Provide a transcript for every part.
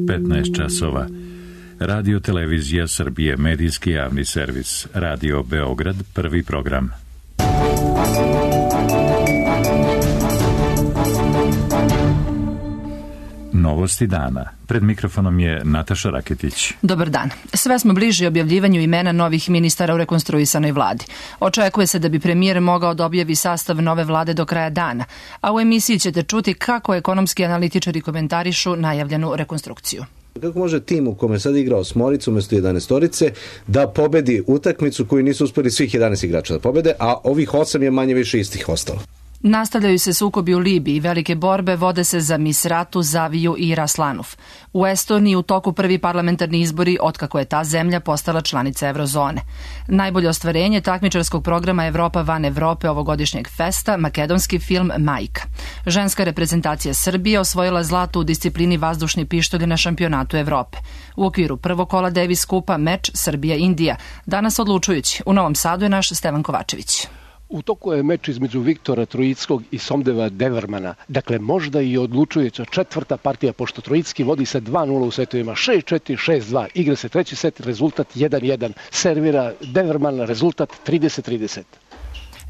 15 časova. Radio Televizija Srbije, medijski javni servis. Radio Beograd, prvi program. Novosti dana. Pred mikrofonom je Nataša Raketić. Dobar dan. Sve smo bliži objavljivanju imena novih ministara u rekonstruisanoj vladi. Očekuje se da bi premijer mogao da objavi sastav nove vlade do kraja dana, a u emisiji ćete čuti kako ekonomski analitičari komentarišu najavljenu rekonstrukciju. Kako može tim u kome sad igra osmoricu umjesto 11-orice da pobedi utakmicu koju nisu uspeli svih 11 igrača da pobede, a ovih 8 je manje više istih ostalo? Nastavljaju se sukobi u Libiji i velike borbe vode se za Misratu, Zaviju i Raslanuf. U Estoniji u toku prvi parlamentarni izbori otkako je ta zemlja postala članica Eurozone. Najbolje ostvarenje takmičarskog programa Evropa van Evrope ovogodišnjeg festa, makedonski film Majka. Ženska reprezentacija Srbije osvojila zlato u disciplini vazdušni pištolj na šampionatu Evrope. U okviru prvog kola Davis kupa meč Srbija-Indija. Danas odlučujući. U Novom Sadu je naš Stevan Kovačević. U toku je meč između Viktora Trojickog i Somdeva Devermana. Dakle, možda i odlučujuća četvrta partija, pošto Trojicki vodi se 2-0 u setovima, 6-4, 6-2. Igra se treći set, rezultat 1-1. Servira Deverman, rezultat 30-30.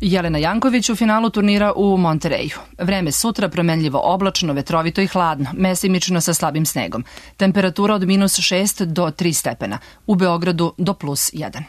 Jelena Janković u finalu turnira u Montereju. Vreme sutra promenljivo oblačno, vetrovito i hladno, mesimično sa slabim snegom. Temperatura od -6 do 3 stepena. U Beogradu do +1.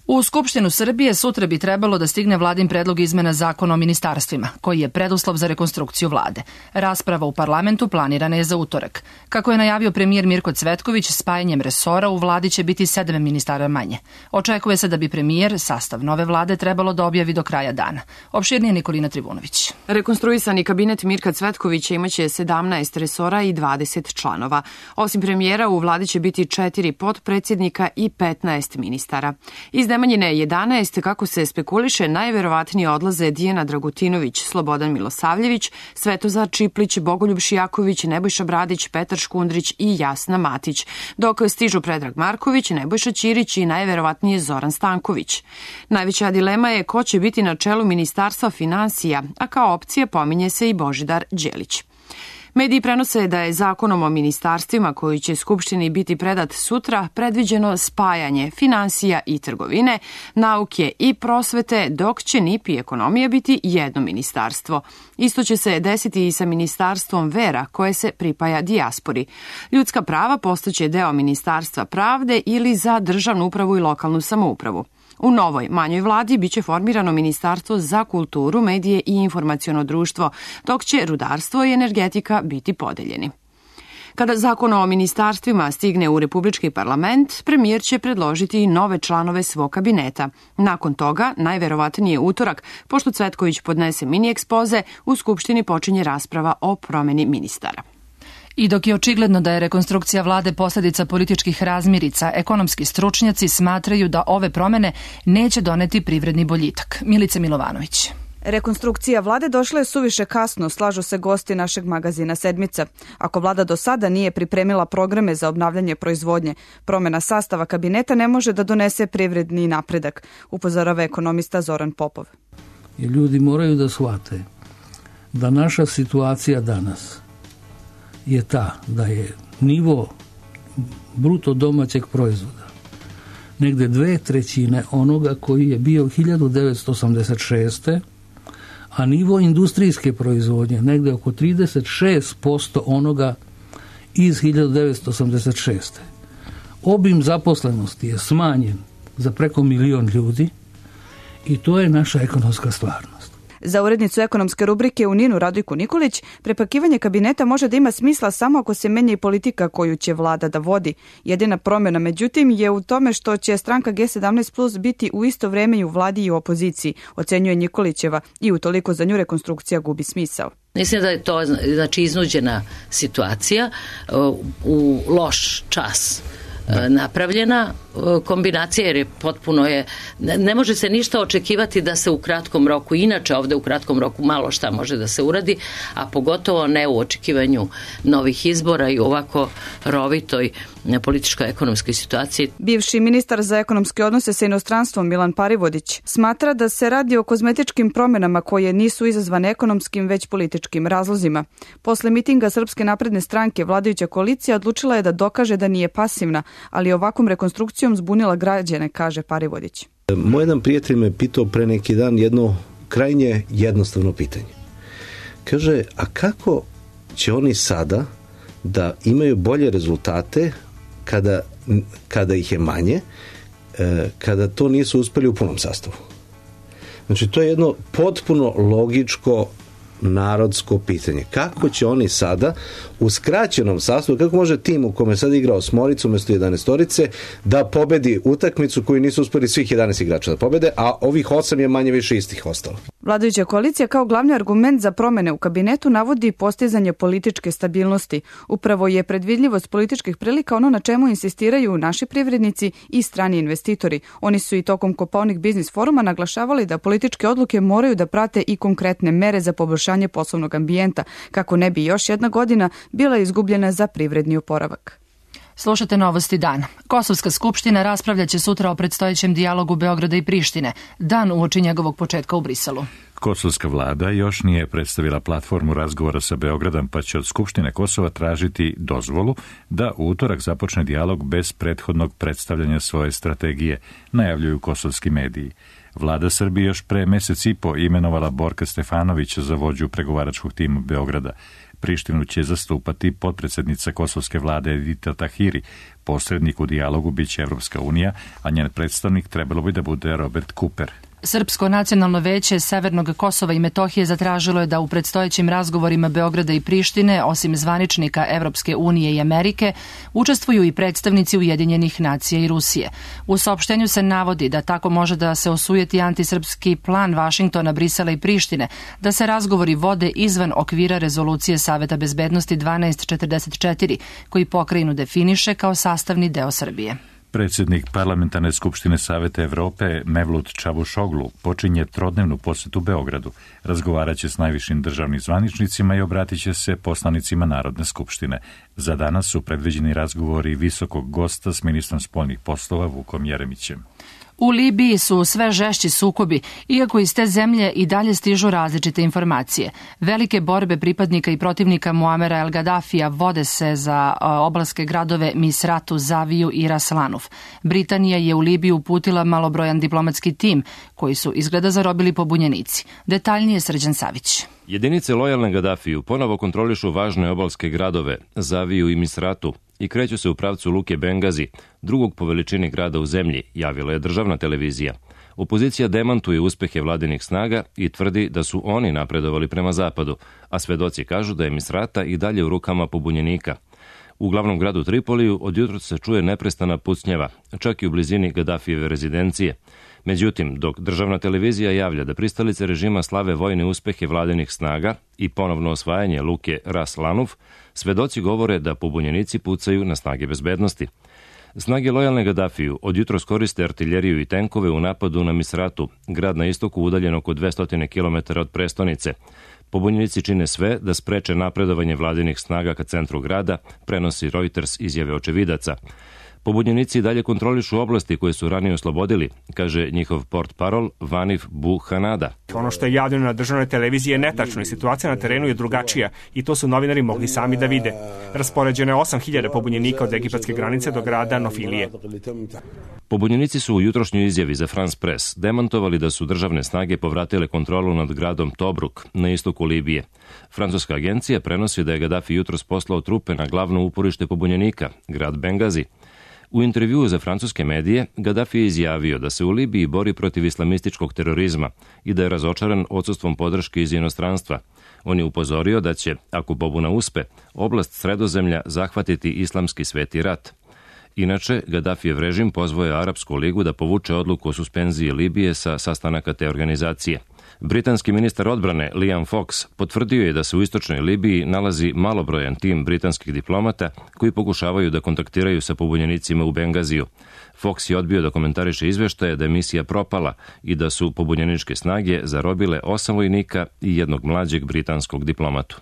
U Skupštinu Srbije sutra bi trebalo da stigne vladin predlog izmena zakona o ministarstvima, koji je preduslov za rekonstrukciju vlade. Rasprava u parlamentu planirana je za utorak. Kako je najavio premijer Mirko Cvetković, spajanjem resora u vladi će biti 7 ministara manje. Očekuje se da bi premijer sastav nove vlade trebalo da objavi do kraja dana. Opširnije Nikolina Trivunović. Rekonstruisani kabinet Mirka Cvetkovića imaće 17 resora i 20 članova. Osim premijera, u vladi će biti 4 potpredsjednika i 15 ministara. Iz Nemanjine 11, kako se spekuliše, najverovatnije odlaze Dijana Dragutinović, Slobodan Milosavljević, Svetozar Čiplić, Bogoljub Šijaković, Nebojša Bradić, Petar Škundrić i Jasna Matić, dok stižu Predrag Marković, Nebojša Ćirić i najverovatnije Zoran Stanković. Najveća dilema je ko će biti na čelu Ministarstva finansija, a kao opcija pominje se i Božidar Đelić. Mediji prenose da je zakonom o ministarstvima koji će Skupštini biti predat sutra predviđeno spajanje finansija i trgovine, nauke i prosvete, dok će NIP i ekonomija biti jedno ministarstvo. Isto će se desiti i sa ministarstvom vera koje se pripaja dijaspori. Ljudska prava postaće deo Ministarstva pravde ili za državnu upravu i lokalnu samoupravu. U novoj, manjoj vladi biće formirano Ministarstvo za kulturu, medije i informaciono društvo, dok će rudarstvo i energetika biti podeljeni. Kada zakon o ministarstvima stigne u Republički parlament, premijer će predložiti i nove članove svog kabineta. Nakon toga, najverovatnije utorak, pošto Cvetković podnese mini ekspoze, u Skupštini počinje rasprava o promeni ministara. I dok je očigledno da je rekonstrukcija vlade posljedica političkih razmirica, ekonomski stručnjaci smatraju da ove promene neće doneti privredni boljitak. Milica Milovanović. Rekonstrukcija vlade došla je suviše kasno, slažu se gosti našeg magazina Sedmica. Ako vlada do sada nije pripremila programe za obnavljanje proizvodnje, promjena sastava kabineta ne može da donese privredni napredak, upozorava ekonomista Zoran Popov. Ljudi moraju da shvate da naša situacija danas je ta da je nivo bruto domaćeg proizvoda negde 2/3 onoga koji je bio 1986. a nivo industrijske proizvodnje negde oko 36% onoga iz 1986. Obim zaposlenosti je smanjen za preko 1 milion ljudi i to je naša ekonomska stvarnost. Za urednicu ekonomske rubrike u Ninu Radojku Nikolić, prepakivanje kabineta može da ima smisla samo ako se menja i politika koju će vlada da vodi. Jedina promjena, međutim, je u tome što će stranka G17+ biti u isto vreme i u vladi i u opoziciji, ocenjuje Nikolićeva, i utoliko za nju rekonstrukcija gubi smisao. Mislim da je to iznuđena situacija, u loš čas napravljena kombinacija jer je potpuno ne može se ništa očekivati da se u kratkom roku, inače ovde u kratkom roku malo šta može da se uradi, a pogotovo ne u očekivanju novih izbora i ovako rovitoj političkoj ekonomskoj situaciji. Bivši ministar za ekonomske odnose sa inostranstvom Milan Parivodić smatra da se radi o kozmetičkim promjenama koje nisu izazvane ekonomskim već političkim razlozima. Posle mitinga Srpske napredne stranke vladajuća koalicija odlučila je da dokaže da nije pasivna, ali ovakvom rekonstrukcijom zbunila građane, kaže Parivodić. Moj jedan prijatelj me pitao pre neki dan jedno krajnje jednostavno pitanje. Kaže, a kako će oni sada da imaju bolje rezultate kada ih je manje, kada to nisu uspeli u punom sastavu? Znači, to je jedno potpuno logičko narodsko pitanje. Kako će oni sada u skraćenom sastavu, kako može tim u kome sad igrao Smoricu umjesto 11-orice da pobedi utakmicu koju nisu uspeli svih 11 igrača da pobede, a ovih 8 je manje više istih ostalo? Vladajuća koalicija kao glavni argument za promene u kabinetu navodi postizanje političke stabilnosti. Upravo je predvidljivost političkih prilika ono na čemu insistiraju naši privrednici i strani investitori. Oni su i tokom Kopaonik biznis foruma naglašavali da političke odluke moraju da prate i konkretne mere za poboljšanje poslovnog ambijenta, kako ne bi još jedna godina bila izgubljena za privredni oporavak. Slušate Novosti dana. Kosovska skupština raspravljaće sutra o predstojećem dijalogu Beograda i Prištine, dan uoči njegovog početka u Briselu. Kosovska vlada još nije predstavila platformu razgovora sa Beogradom, pa će od Skupštine Kosova tražiti dozvolu da u utorak započne dijalog bez prethodnog predstavljanja svoje strategije, najavljuju kosovski mediji. Vlada Srbije još pre mesec i po imenovala Borka Stefanovića za vođu pregovaračkog tima Beograda. Prištinu će zastupati potpredsjednica kosovske vlade Edita Tahiri. Posrednik u dijalogu biće Evropska unija, a njen predstavnik trebalo bi da bude Robert Cooper. Srpsko nacionalno veće Severnog Kosova i Metohije zatražilo je da u predstojećim razgovorima Beograda i Prištine, osim zvaničnika Evropske unije i Amerike, učestvuju i predstavnici Ujedinjenih nacija i Rusije. U saopštenju se navodi da tako može da se osujeti antisrpski plan Vašingtona, Brisela i Prištine, da se razgovori vode izvan okvira rezolucije Saveta bezbednosti 1244, koji pokrajinu definiše kao sastavni deo Srbije. Predsjednik Parlamentarne skupštine Saveta Evrope Mevlut Čavušoglu počinje trodnevnu posjetu Beogradu. Razgovaraće s najvišim državnim zvaničnicima i obratit će se poslanicima Narodne skupštine. Za danas su predviđeni razgovori visokog gosta s ministrom spoljnih poslova Vukom Jeremićem. U Libiji su sve žešći sukobi, iako iz te zemlje i dalje stižu različite informacije. Velike borbe pripadnika i protivnika Muamera El Gaddafija vode se za oblaske gradove Misratu, Zaviju i Raslanuf. Britanija je u Libiju uputila malobrojan diplomatski tim, koji su izgleda zarobili pobunjenici. Detaljnije Srđan Savić. Jedinice lojalne Gaddafiju ponovo kontrolišu važne obalske gradove Zaviju i Misratu i kreću se u pravcu luke Bengazi, drugog po veličini grada u zemlji, javila je državna televizija. Opozicija demantuje uspehe vladinih snaga i tvrdi da su oni napredovali prema zapadu, a svedoci kažu da je Misrata i dalje u rukama pobunjenika. U glavnom gradu Tripoliju od jutra se čuje neprestana pucnjava, čak i u blizini Gaddafijeve rezidencije. Međutim, dok državna televizija javlja da pristalice režima slave vojne uspehe vladinih snaga i ponovno osvajanje luke Ras Lanuf, svedoci govore da pobunjenici pucaju na snage bezbednosti. Snage lojalne Gaddafiju od jutros koriste artiljeriju i tenkove u napadu na Misratu, grad na istoku udaljen oko 200 km od prestonice. Pobunjenici čine sve da spreče napredovanje vladinih snaga ka centru grada, prenosi Reuters izjave očevidaca. Pobunjenici dalje kontrolišu oblasti koje su ranije oslobodili, kaže njihov portparol Vanif Buhanada. Ono što je javljeno na državnoj televiziji je netačno i situacija na terenu je drugačija i to su novinari mogli sami da vide. Raspoređeno je 8.000 pobunjenika od egipatske granice do grada Nofilije. Pobunjenici su u jutrošnjoj izjavi za France Press demantovali da su državne snage povratile kontrolu nad gradom Tobruk na istoku Libije. Francuska agencija prenosi da je Gaddafi jutros poslao trupe na glavno uporište pobunjenika, grad Bengazi. U intervjuu za francuske medije, Gaddafi je izjavio da se u Libiji bori protiv islamističkog terorizma i da je razočaran odsustvom podrške iz inostranstva. On je upozorio da će, ako pobuna uspe, oblast Sredozemlja zahvatiti islamski sveti rat. Inače, Gaddafijev režim pozvao je Arapsku ligu da povuče odluku o suspenziji Libije sa sastanaka te organizacije. Britanski ministar odbrane Liam Fox potvrdio je da se u istočnoj Libiji nalazi malobrojan tim britanskih diplomata koji pokušavaju da kontaktiraju sa pobunjenicima u Bengaziju. Fox je odbio da komentariše izveštaje da je misija propala i da su pobunjeničke snage zarobile 8 vojnika i jednog mlađeg britanskog diplomatu.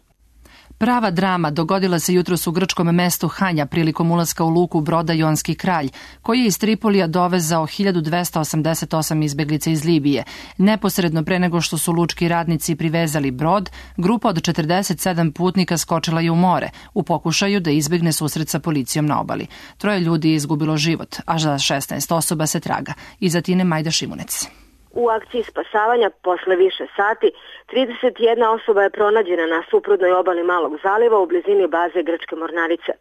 Prava drama dogodila se jutros u grčkom mestu Hanja prilikom ulaska u luku broda Jonski kralj, koji je iz Tripolija dovezao 1288 izbeglica iz Libije. Neposredno pre nego što su lučki radnici privezali brod, grupa od 47 putnika skočila je u more u pokušaju da izbegne susret sa policijom na obali. 3 ljudi je izgubilo život, a za 16 osoba se traga. Iza Tine Majda Šimunec. U akciji spasavanja posle više sati 31 osoba je pronađena na suprotnoj obali Malog zaliva u blizini baze grčke mornarice.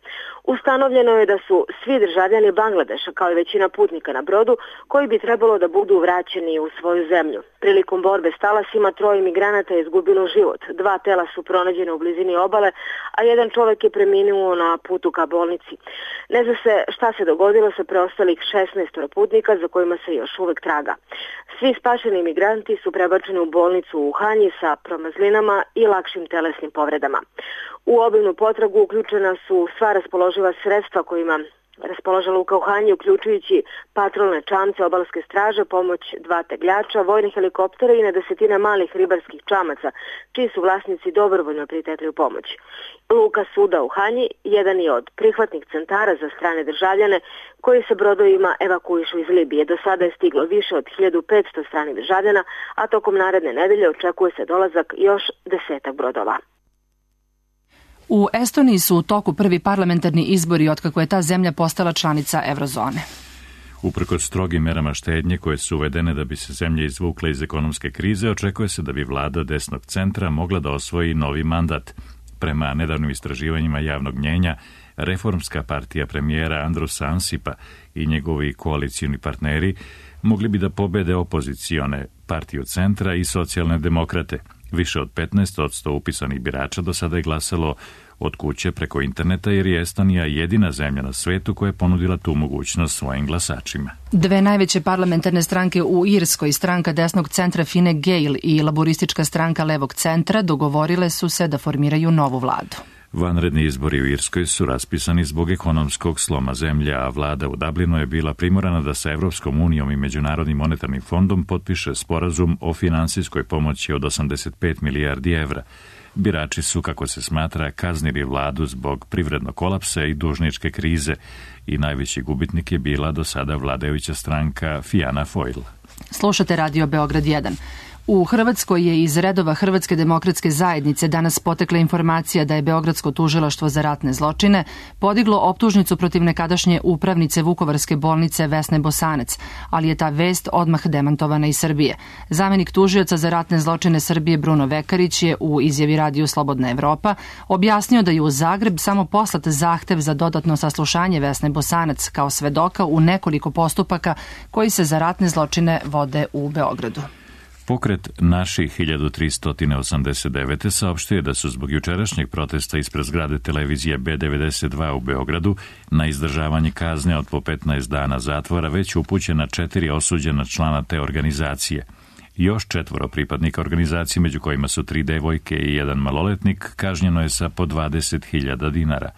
Ustanovljeno je da su svi državljani Bangladeša, kao i većina putnika na brodu, koji bi trebalo da budu vraćeni u svoju zemlju. Prilikom borbe s talasima 3 migranata je izgubilo život. 2 tela su pronađene u blizini obale, a jedan čovek je preminuo na putu ka bolnici. Ne zna se šta se dogodilo sa preostalih 16 putnika za kojima se još uvek traga. Svi spašeni migranti su prebačeni u bolnicu u Hanji sa promazlinama i lakšim telesnim povredama. U obimnu potragu uključena su sva raspoloživa sredstva kojima raspolaže luka u Hanji, uključujući patrolne čamce obalske straže, pomoć 2 tegljača, vojne helikoptere i na desetine malih ribarskih čamaca, čiji su vlasnici dobrovoljno pritekli u pomoć. Luka suda u Hanji jedan je od prihvatnih centara za strane državljane koji se brodovima evakuišu iz Libije. Do sada je stiglo više od 1500 stranih državljana, a tokom naredne nedelje očekuje se dolazak još 10 brodova. U Estoniji su u toku prvi parlamentarni izbori otkako je ta zemlja postala članica Eurozone. Uprkos strogim merama štednje koje su uvedene da bi se zemlja izvukla iz ekonomske krize, očekuje se da bi vlada desnog centra mogla da osvoji novi mandat. Prema nedavnim istraživanjima javnog mnjenja, reformska partija premijera Andrusa Ansipa i njegovi koalicijni partneri mogli bi da pobede opozicione partiju centra i socijalne demokrate. Više od 15% upisanih birača do sada je glasalo od kuće preko interneta, jer je Estonija jedina zemlja na svetu koja je ponudila tu mogućnost svojim glasačima. 2 najveće parlamentarne stranke u Irskoj, stranka desnog centra Fine Gael i laboristička stranka levog centra, dogovorile su se da formiraju novu vladu. Vanredni izbori u Irskoj su raspisani zbog ekonomskog sloma zemlje, a vlada u Dublinu je bila primorana da sa Evropskom unijom i Međunarodnim monetarnim fondom potpiše sporazum o finansijskoj pomoći od 85 milijardi evra. Birači su, kako se smatra, kaznili vladu zbog privrednog kolapsa i dužničke krize i najveći gubitnik je bila do sada vladajuća stranka Fianna Fáil. Slušate Radio Beograd 1. U Hrvatskoj je iz redova Hrvatske demokratske zajednice danas potekla informacija da je Beogradsko tužilaštvo za ratne zločine podiglo optužnicu protiv nekadašnje upravnice Vukovarske bolnice Vesne Bosanac, ali je ta vest odmah demantovana iz Srbije. Zamenik tužioca za ratne zločine Srbije Bruno Vekarić je u izjavi Radiju Slobodna Evropa objasnio da je u Zagreb samo poslat zahtev za dodatno saslušanje Vesne Bosanac kao svedoka u nekoliko postupaka koji se za ratne zločine vode u Beogradu. Pokret Naših 1389. saopštio je da su zbog jučerašnjeg protesta ispred zgrade televizije B92 u Beogradu na izdržavanje kazne od po 15 dana zatvora već upućena 4 osuđena člana te organizacije. Još 4 pripadnika organizacije, među kojima su 3 devojke i 1 maloletnik, kažnjeno je sa po 20.000 dinara.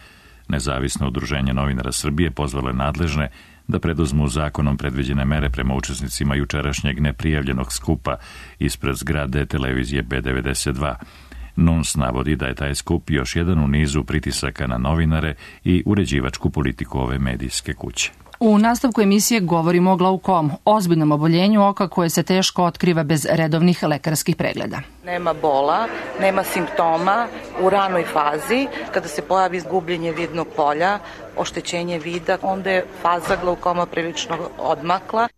Nezavisno udruženje novinara Srbije pozvalo je nadležne da preduzmu zakonom predviđene mere prema učesnicima jučerašnjeg neprijavljenog skupa ispred zgrade televizije B92. NUNS navodi da je taj skup još jedan u nizu pritisaka na novinare i uređivačku politiku ove medijske kuće. U nastavku emisije govorimo o glaukomu, ozbiljnom oboljenju oka koje se teško otkriva bez redovnih lekarskih pregleda. Nema bola, nema simptoma u ranoj fazi. Kada se pojavi izgubljenje vidnog polja, oštećenje vida, onda je faza glaukoma prilično odmakla.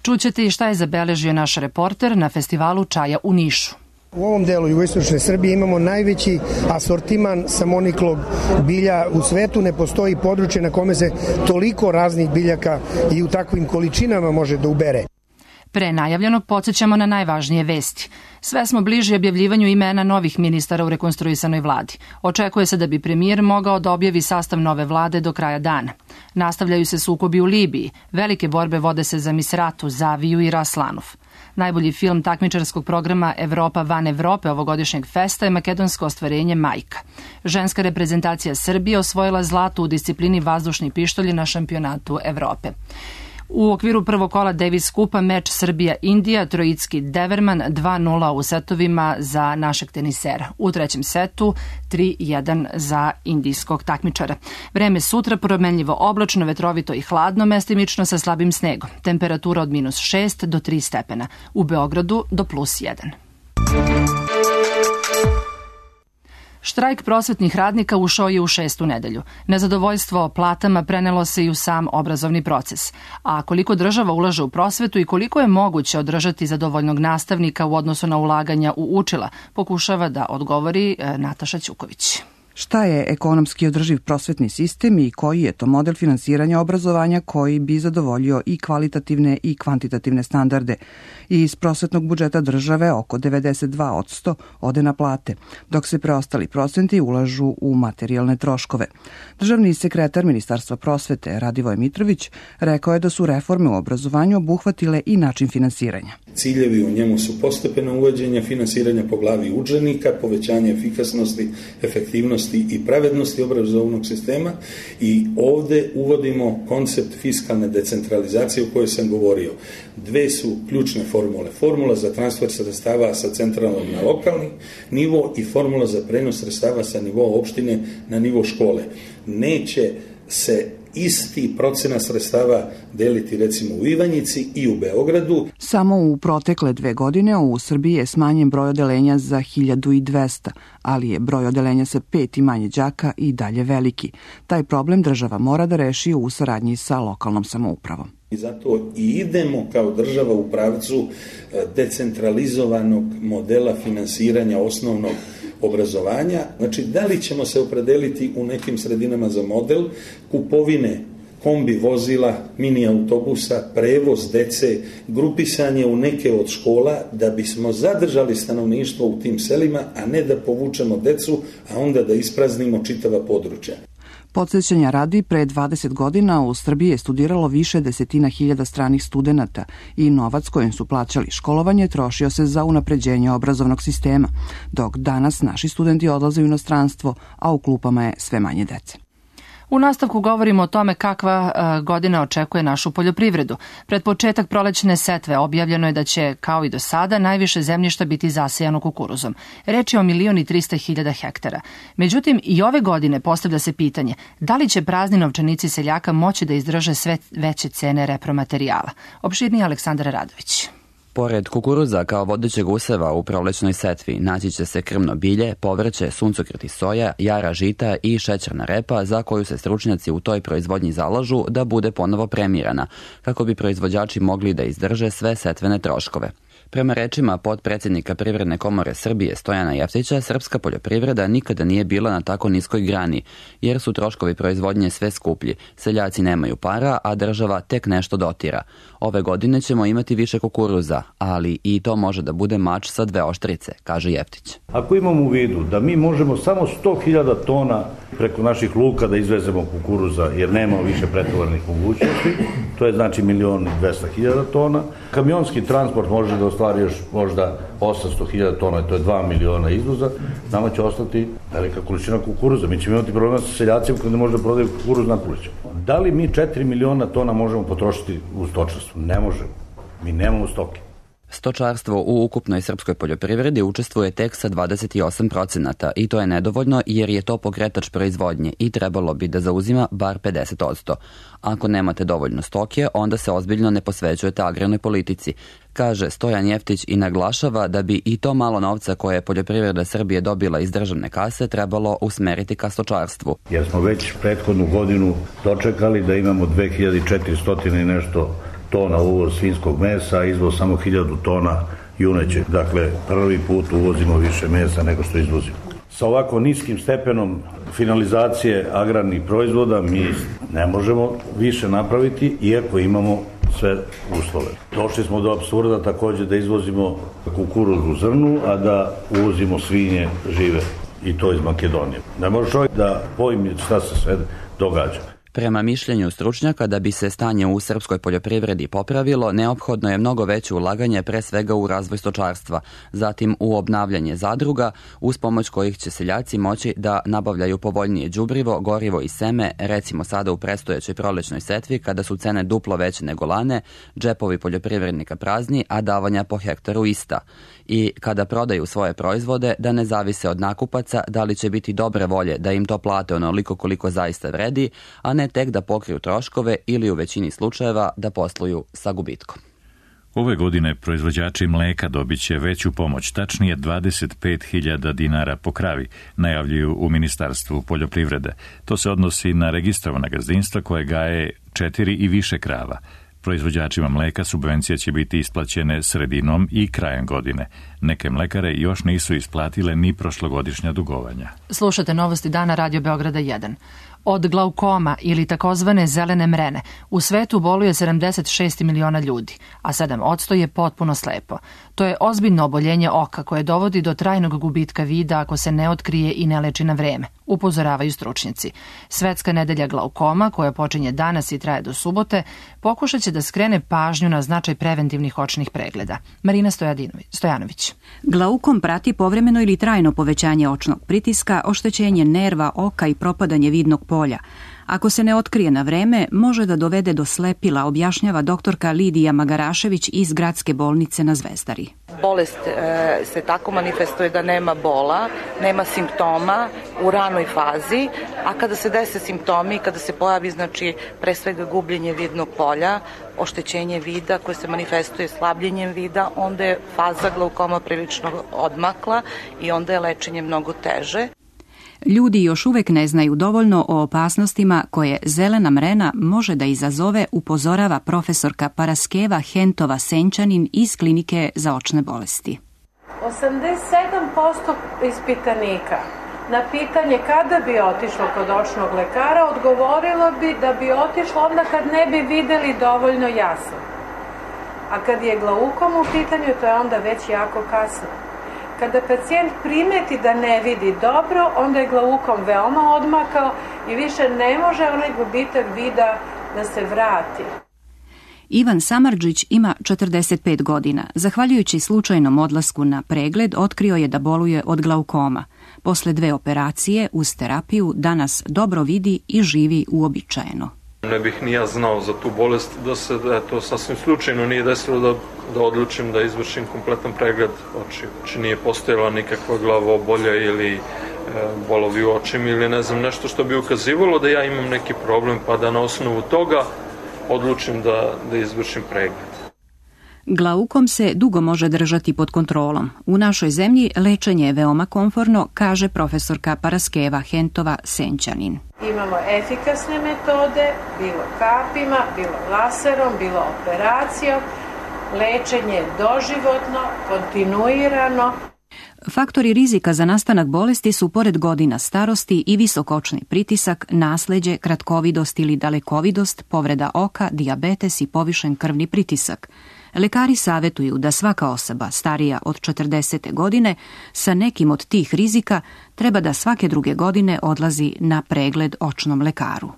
Čućete i šta je zabeležio naš reporter na festivalu čaja u Nišu. U ovom delu jugoistočne Srbije imamo najveći asortiman samoniklog bilja u svetu. Ne postoji područje na kome se toliko raznih biljaka i u takvim količinama može da ubere. Pre najavljenog podsjećamo na najvažnije vesti. Sve smo bliži objavljivanju imena novih ministara u rekonstruisanoj vladi. Očekuje se da bi premijer mogao da objavi sastav nove vlade do kraja dana. Nastavljaju se sukobi u Libiji. Velike borbe vode se za Misratu, Zaviju i Raslanuf. Najbolji film takmičarskog programa Evropa van Evrope ovogodišnjeg festa je makedonsko ostvarenje Majka. Ženska reprezentacija Srbije osvojila zlato u disciplini vazdušni pištolji na šampionatu Evrope. U okviru prvog kola Davis Kupa meč Srbija-Indija, Trojicki Deverman 2-0 u setovima za našeg tenisera. U trećem setu 3-1 za indijskog takmičara. Vreme sutra promenljivo oblačno, vetrovito i hladno, mestimično sa slabim snegom. Temperatura od -6 do 3 stepena. U Beogradu do +1. Štrajk prosvetnih radnika ušao je u 6. nedelju. Nezadovoljstvo platama prenelo se i u sam obrazovni proces. A koliko država ulaže u prosvetu i koliko je moguće održati zadovoljnog nastavnika u odnosu na ulaganja u učila, pokušava da odgovori Nataša Ćuković. Šta je ekonomski održiv prosvetni sistem i koji je to model finansiranja obrazovanja koji bi zadovoljio i kvalitativne i kvantitativne standarde? I iz prosvetnog budžeta države oko 92% ode na plate, dok se preostali procenti ulažu u materijalne troškove. Državni sekretar Ministarstva prosvete Radivoj Mitrović rekao je da su reforme u obrazovanju obuhvatile i način finansiranja. Ciljevi u njemu su postepeno uvođenje finansiranja po glavi učenika, povećanje efikasnosti, efektivnosti i pravednosti obrazovnog sistema i ovde uvodimo koncept fiskalne decentralizacije o kojoj sam govorio. Dve su ključne formule. Formula za transfer sredstava sa centralnog na lokalni nivo i formula za prenos sredstava sa nivoa opštine na nivo škole. Neće se isti procenat sredstava deliti recimo u Ivanjici i u Beogradu. Samo u protekle 2 godine u Srbiji je smanjen broj odeljenja za 1200, ali je broj odeljenja sa 5 i manje đaka i dalje veliki. Taj problem država mora da reši u saradnji sa lokalnom samoupravom. I zato i idemo kao država u pravcu decentralizovanog modela finansiranja osnovnog obrazovanja. Znači, da li ćemo se opredeliti u nekim sredinama za model kupovine kombi vozila, mini autobusa, prevoz dece, grupisanje u neke od škola da bismo zadržali stanovništvo u tim selima, a ne da povučemo decu, a onda da ispraznimo čitava područja. Podsjećanja radi, pre 20 godina u Srbiji je studiralo više desetina hiljada stranih studenata i novac kojim su plaćali školovanje trošio se za unapređenje obrazovnog sistema, dok danas naši studenti odlaze u inostranstvo, a u klupama je sve manje dece. U nastavku govorimo o tome kakva godina očekuje našu poljoprivredu. Pred početak prolećne setve objavljeno je da će, kao i do sada, najviše zemljišta biti zasejano kukuruzom. Reč je o 1.300.000 hektara. Međutim, i ove godine postavlja se pitanje da li će prazni novčanici seljaka moći da izdrže sve veće cene repromaterijala. Opširniji Aleksandar Radović. Pored kukuruza kao vodećeg useva u prolećnoj setvi naći će se krmno bilje, povrće, suncokret i soja, jara žita i šećerna repa za koju se stručnjaci u toj proizvodnji zalažu da bude ponovo premirana, kako bi proizvođači mogli da izdrže sve setvene troškove. Prema rečima potpredsjednika Privredne komore Srbije Stojana Jeftića, srpska poljoprivreda nikada nije bila na tako niskoj grani, jer su troškovi proizvodnje sve skuplji, seljaci nemaju para, a država tek nešto dotira. Ove godine ćemo imati više kukuruza, ali i to može da bude mač sa 2 oštrice, kaže Jeftić. Ako imamo u vidu da mi možemo samo 100.000 tona preko naših luka da izvezemo kukuruza, jer nema više pretovarnih mogućnosti, to je znači 1.200.000 tona, kamionski transport može da ostvari još možda 800.000 tona, to je 2 miliona izvoza, nama će ostati velika količina kukuruza. Mi ćemo imati problema sa seljacima kada ne može da prodaju kukuruz na poliću. Da li mi 4 miliona tona možemo potrošiti u stočarstvu? Ne možemo. Mi nemamo stoke. Stočarstvo u ukupnoj srpskoj poljoprivredi učestvuje tek sa 28% i to je nedovoljno jer je to pokretač proizvodnje i trebalo bi da zauzima bar 50%. Ako nemate dovoljno stoke, onda se ozbiljno ne posvećujete agrarnoj politici, kaže Stojan Jeftić i naglašava da bi i to malo novca koje je poljoprivreda Srbije dobila iz državne kase trebalo usmeriti ka stočarstvu. Jer smo već prethodnu godinu dočekali da imamo 2400 i nešto tona uvoz svinjskog mesa, a izvoz samo 1000 tona junećeg. Dakle, prvi put uvozimo više mesa nego što izvozimo. Sa ovako niskim stepenom finalizacije agrarnih proizvoda mi ne možemo više napraviti, iako imamo sve uslove. Došli smo do apsurda takođe da izvozimo kukuruz u zrnu, a da uvozimo svinje žive, i to iz Makedonije. Ne može čovjek da pojmi šta se sve događa. Prema mišljenju stručnjaka, da bi se stanje u srpskoj poljoprivredi popravilo, neophodno je mnogo veće ulaganje pre svega u razvoj stočarstva, zatim u obnavljanje zadruga, uz pomoć kojih će seljaci moći da nabavljaju povoljnije đubrivo, gorivo i seme, recimo sada u predstojećoj prolećnoj setvi kada su cene duplo veće nego lane, džepovi poljoprivrednika prazni, a davanja po hektaru ista. I kada prodaju svoje proizvode, da ne zavise od nakupaca da li će biti dobre volje da im to plate onoliko koliko zaista vredi, a ne tek da pokriju troškove ili u većini slučajeva da posluju sa gubitkom. Ove godine proizvođači mleka dobit će veću pomoć, tačnije 25.000 dinara po kravi, najavljuju u Ministarstvu poljoprivrede. To se odnosi na registrovana gazdinstva koje gaje 4 i više krava. Proizvođačima mleka subvencije će biti isplaćene sredinom i krajem godine. Neke mlekare još nisu isplatile ni prošlogodišnja dugovanja. Slušate novosti dana Radio Beograda 1. Od glaukoma ili takozvane zelene mrene u svetu boluje 76 miliona ljudi, a 7% je potpuno slepo. To je ozbiljno oboljenje oka koje dovodi do trajnog gubitka vida ako se ne otkrije i ne leči na vreme, upozoravaju stručnjaci. Svetska nedelja glaukoma, koja počinje danas i traje do subote, pokušat će da skrene pažnju na značaj preventivnih očnih pregleda. Marina Stojanović. Glaukom prati povremeno ili trajno povećanje očnog pritiska, oštećenje nerva, oka i propadanje vidnog polja. Ako se ne otkrije na vreme, može da dovede do slepila, objašnjava doktorka Lidija Magarašević iz Gradske bolnice na Zvezdari. Bolest se tako manifestuje da nema bola, nema simptoma u ranoj fazi, a kada se dese simptomi, kada se pojavi pre svega gubljenje vidnog polja, oštećenje vida koje se manifestuje slabljenjem vida, onda je faza glaukoma prilično odmakla i onda je lečenje mnogo teže. Ljudi još uvek ne znaju dovoljno o opasnostima koje zelena mrena može da izazove, upozorava profesorka Paraskeva Hentova Senčanin iz Klinike za očne bolesti. 87% ispitanika na pitanje kada bi otišlo kod očnog lekara odgovorilo bi da bi otišlo onda kad ne bi videli dovoljno jasno. A kad je glaukom u pitanju, to je onda već jako kasno. Kada pacijent primeti da ne vidi dobro, onda je glaukom veoma odmakao i više ne može onaj gubitak vida da se vrati. Ivan Samardžić ima 45 godina. Zahvaljujući slučajnom odlasku na pregled, otkrio je da boluje od glaukoma. Posle 2 operacije uz terapiju danas dobro vidi i živi uobičajeno. Ne bih ni ja znao za tu bolest, da se to sasvim slučajno nije desilo da odlučim da izvršim kompletan pregled očiju. Znači nije postojala nikakva glavobolja ili bolovi u očima ili ne znam nešto što bi ukazivalo da ja imam neki problem pa da na osnovu toga odlučim da izvršim pregled. Glaukom se dugo može držati pod kontrolom. U našoj zemlji lečenje je veoma komforno, kaže profesorka Paraskeva Hentova Senčanin. Imamo efikasne metode, bilo kapima, bilo laserom, bilo operacijom. Lečenje je doživotno, kontinuirano. Faktori rizika za nastanak bolesti su pored godina starosti i visokočni pritisak, nasleđe, kratkovidost ili dalekovidost, povreda oka, dijabetes i povišen krvni pritisak. Lekari savetuju da svaka osoba starija od 40. godine sa nekim od tih rizika treba da svake 2 godine odlazi na pregled očnom lekaru.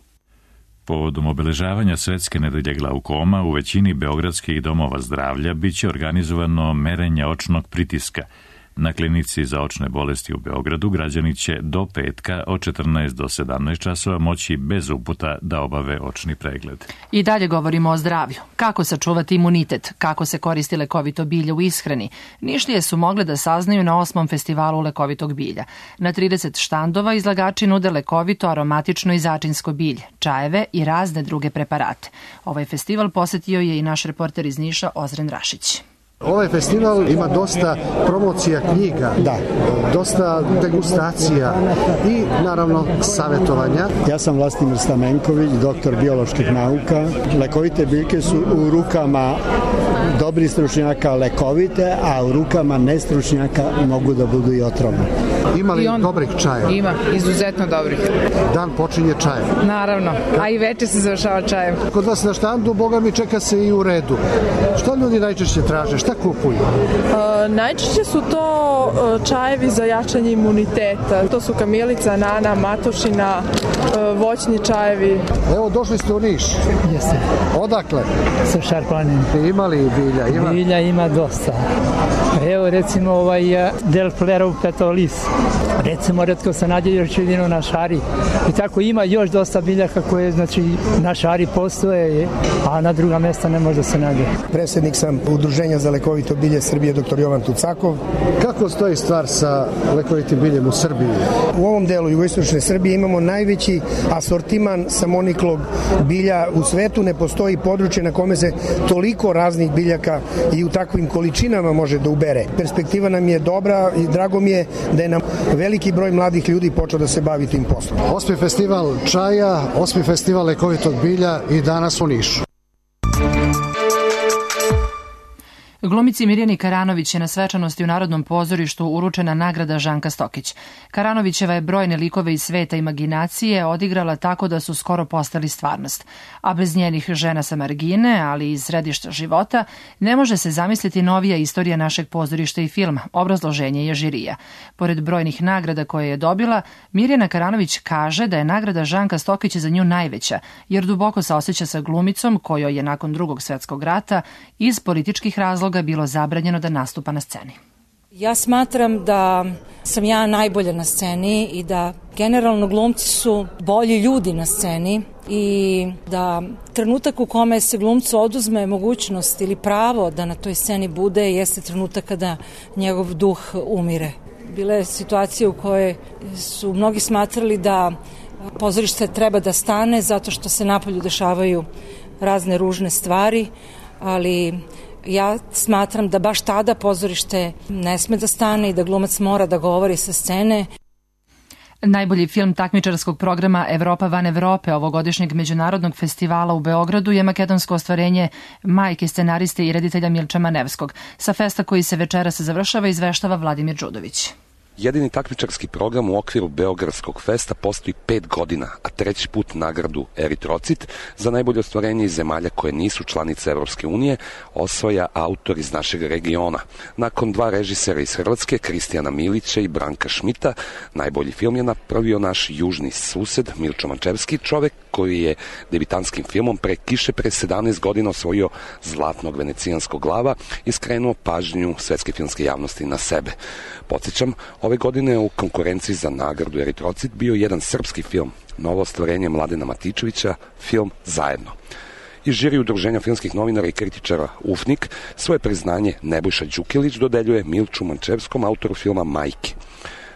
Povodom obeležavanja Svetske nedelje glaukoma u većini beogradskih domova zdravlja biće organizovano merenje očnog pritiska. Na klinici za očne bolesti u Beogradu građani će do petka od 14 do 17 časova moći bez uputa da obave očni pregled. I dalje govorimo o zdravlju. Kako sačuvati imunitet, kako se koristi lekovito bilje u ishrani. Nišlije su mogle da saznaju na 8. festivalu lekovitog bilja. Na 30 štandova izlagači nude lekovito, aromatično i začinsko bilje, čajeve i razne druge preparate. Ovaj festival posetio je i naš reporter iz Niša Ozren Rašić. Ovaj festival ima dosta promocija knjiga, dosta degustacija i naravno savjetovanja. Ja sam Vlastimir Stamenković, doktor bioloških nauka. Lekovite biljke su u rukama dobrih stručnjaka lekovite, a u rukama nestručnjaka mogu da budu i otrovne. Ima li dobrih čajeva? Ima, izuzetno dobrih. Dan počinje čajem? Naravno, a i večer se završava čajem. Kod vas na štandu, boga mi, čeka se i u redu. Šta ljudi najčešće traže? Šta kupuju? Najčešće su to to čajevi za jačanje imuniteta. To su kamilica, nana, matošina, voćni čajevi. Evo, došli ste u Niš. Jeste. Odakle? Sa Šarpanim. Ima li bilja? Bilja ima dosta. Evo recimo Del Flero petolis. Recimo retko se nađe još jedino na šari. I tako ima još dosta biljaka koje znači na šari postoje, a na druga mesta ne može se nađe. Predsjednik sam Udruženja za lekovito bilje Srbije dr. Jovan Tucakov. Kako stoji stvar sa lekovitim biljem u Srbiji? U ovom delu jugoistočne Srbije imamo najveći asortiman samoniklog bilja u svetu. Ne postoji područje na kome se toliko raznih biljaka i u takvim količinama može da ubere. Perspektiva nam je dobra i drago mi je da je nam veliki broj mladih ljudi počeo da se bavi tim poslom. 8. festival čaja, 8. festival lekovitog bilja i danas u Nišu. Glumici Mirjani Karanović je na svečanosti u Narodnom pozorištu uručena nagrada Žanka Stokić. Karanovićeva je brojne likove iz sveta imaginacije odigrala tako da su skoro postali stvarnost. A bez njenih žena sa margine, ali i iz središta života, ne može se zamisliti novija istorija našeg pozorišta i filma. Obrazloženje je žirija. Pored brojnih nagrada koje je dobila, Mirjana Karanović kaže da je nagrada Žanka Stokić za nju najveća, jer duboko se osjeća sa glumicom kojoj je nakon Drugog svjetskog rata iz političkih razloga bilo zabranjeno da nastupa na sceni. Ja smatram da sam ja najbolja na sceni i da generalno glumci su bolji ljudi na sceni i da trenutak u kome se glumcu oduzme mogućnost ili pravo da na toj sceni bude jeste trenutak kada njegov duh umire. Bila je situacija u kojoj su mnogi smatrali da pozorište treba da stane zato što se napolju dešavaju razne ružne stvari, ali ja smatram da baš tada pozorište ne sme da stane i da glumac mora da govori sa scene. Najbolji film takmičarskog programa Evropa van Evrope ovogodišnjeg međunarodnog festivala u Beogradu je makedonsko ostvarenje majke scenariste i reditelja Milča Manevskog. Sa festa koji se večeras završava izveštava Vladimir Đudović. Jedini takmičarski program u okviru Beogradskog festa postoji 5 godina, a 3. put nagradu Eritrocit za najbolje ostvarenje iz zemalja koje nisu članice Evropske unije osvaja autor iz našeg regiona. Nakon 2 režisera iz Hrvatske, Kristijana Milića i Branka Šmita, najbolji film je napravio naš južni sused Milčo Mančevski, čovek koji je debitanskim filmom Pre kiše pre 17 godina osvojio Zlatnog venecijanskog glava i skrenuo pažnju svetske filmske javnosti na sebe. Podsjećam, ove godine u konkurenciji za nagradu Eritrocit bio jedan srpski film, novo ostvarenje Mladena Matičevića, film Zajedno. Iz žiri Udruženja filmskih novinara i kritičara UFNIK svoje priznanje Nebojša Đukilić dodeljuje Milču Mančevskom, autoru filma Majke.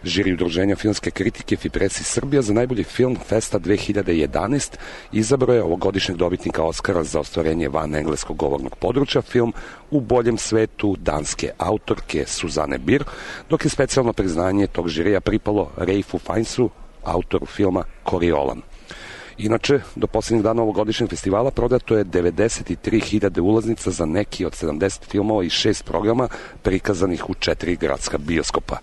Žiri Udruženja filmske kritike Fipresi Srbija za najbolji film Festa 2011 izabrao je ovogodišnjeg dobitnika Oskara za ostvarenje van engleskog govornog područja, film U boljem svetu danske autorke Suzane Bir, dok je specijalno priznanje tog žirija pripalo Raifu Feinsu, autoru filma Koriolan. Inače, do posljednjeg dana ovogodišnjeg festivala prodato je 93.000 ulaznica za neki od 70 filmova i 6 programa prikazanih u 4 gradska bioskopa.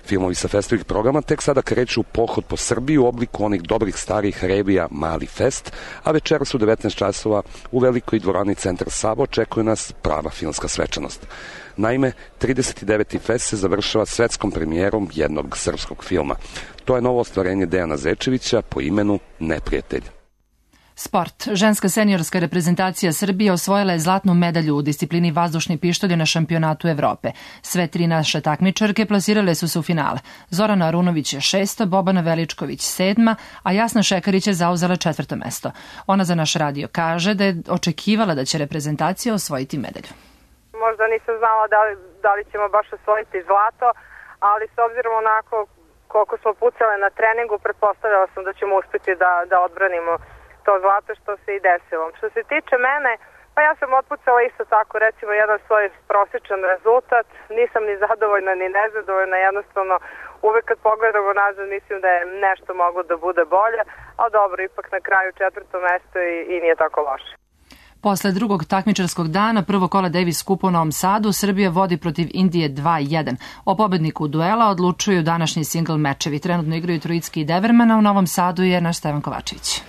Filmovi sa festovih programa tek sada kreću pohod po Srbiji u obliku onih dobrih starih revija Mali fest, a večeras u 19 časova u velikoj dvorani Centar Savo očekuje nas prava filmska svečanost. Naime, 39. fest se završava svetskom premijerom jednog srpskog filma. To je novo ostvarenje Dejana Zečevića po imenu Neprijatelj. Sport. Ženska seniorska reprezentacija Srbije osvojila je zlatnu medalju u disciplini vazdušni pištolj na šampionatu Evrope. Sve 3 naše takmičarke plasirale su se u finale. Zorana Arunović je 6., Bobana Veličković 7., a Jasna Šekarić je zauzela 4. mesto. Ona za naš radio kaže da je očekivala da će reprezentacija osvojiti medalju. Možda nisam znala da li ćemo baš osvojiti zlato, ali s obzirom onako koliko smo pucale na treningu, pretpostavljala sam da ćemo uspjeti da odbranimo to zlato, što se i desilo. Što se tiče mene, pa ja sam otpucala isto tako, recimo, jedan svoj prosječan rezultat. Nisam ni zadovoljna ni nezadovoljna, jednostavno uvek kad pogledamo nazad mislim da je nešto moglo da bude bolje, ali dobro, ipak na kraju 4. mesto i nije tako loše. Posle drugog takmičarskog dana, prvo kola Davis Cupa u Novom Sadu, Srbija vodi protiv Indije 2-1. O pobedniku duela odlučuju današnji singl mečevi. Trenutno igraju Trojicki i Deverman, a u Novom Sadu je naš Stevan Kovačević.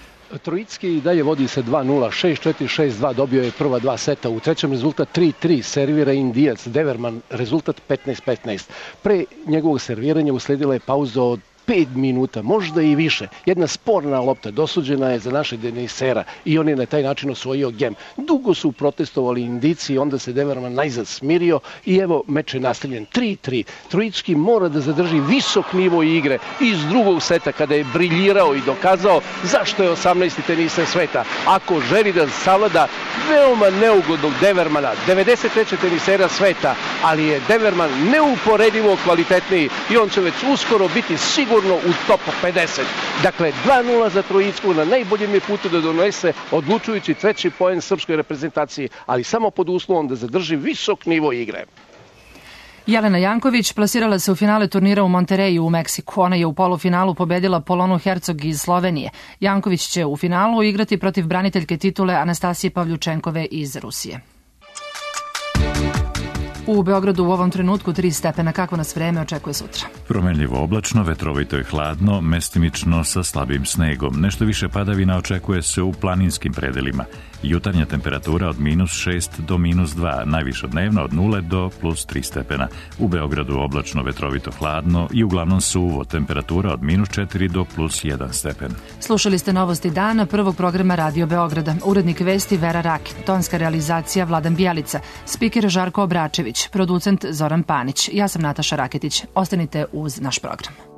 Trojicki i dalje vodi se 2-0, 6-4, 6-2, dobio je prva dva seta. U trećem rezultat 3-3, servira Indijac, Deverman, rezultat 15-15. Pre njegovog serviranja usledila je pauza od 5 minuta, možda i više. Jedna sporna lopta dosuđena je za naše Denisera i on je na taj način osvojio gem. Dugo su protestovali Indici, onda se Deverman najzad smirio i evo meč je nastavljen 3-3. Trojicki mora da zadrži visok nivo igre iz drugog seta kada je briljirao i dokazao zašto je 18. teniser sveta. Ako želi da savlada veoma neugodnog Devermana, 93. tenisera sveta, ali je Deverman neuporedivo kvalitetniji i on će već uskoro biti sigurno u top 50. Dakle, 2-0 za Trojicku, na najboljem je putu da donese odlučujući treći poen srpskoj reprezentaciji, ali samo pod uslovom da zadrži visok nivo igre. Jelena Janković plasirala se u finale turnira u Montereju u Meksiku. Ona je u polufinalu pobedila Polonu Hercog iz Slovenije. Janković će u finalu igrati protiv braniteljke titule Anastasije Pavljučenkove iz Rusije. U Beogradu u ovom trenutku 3 stepena. Kako nas vreme očekuje sutra? Promenljivo oblačno, vetrovito i hladno, mestimično sa slabim snegom. Nešto više padavina očekuje se u planinskim predelima. Jutarnja temperatura od -6 do -2, najviša dnevna od 0 do +3 stepena. U Beogradu oblačno, vetrovito, hladno i uglavnom suvo, temperatura od -4 do +1 stepen. Slušali ste novosti dana prvog programa Radio Beograda. Urednik vesti Vera Rakin, tonska realizacija Vladan Bjelica, spiker Žarko Obračević, producent Zoran Panić. Ja sam Nataša Raketić. Ostanite uz naš program.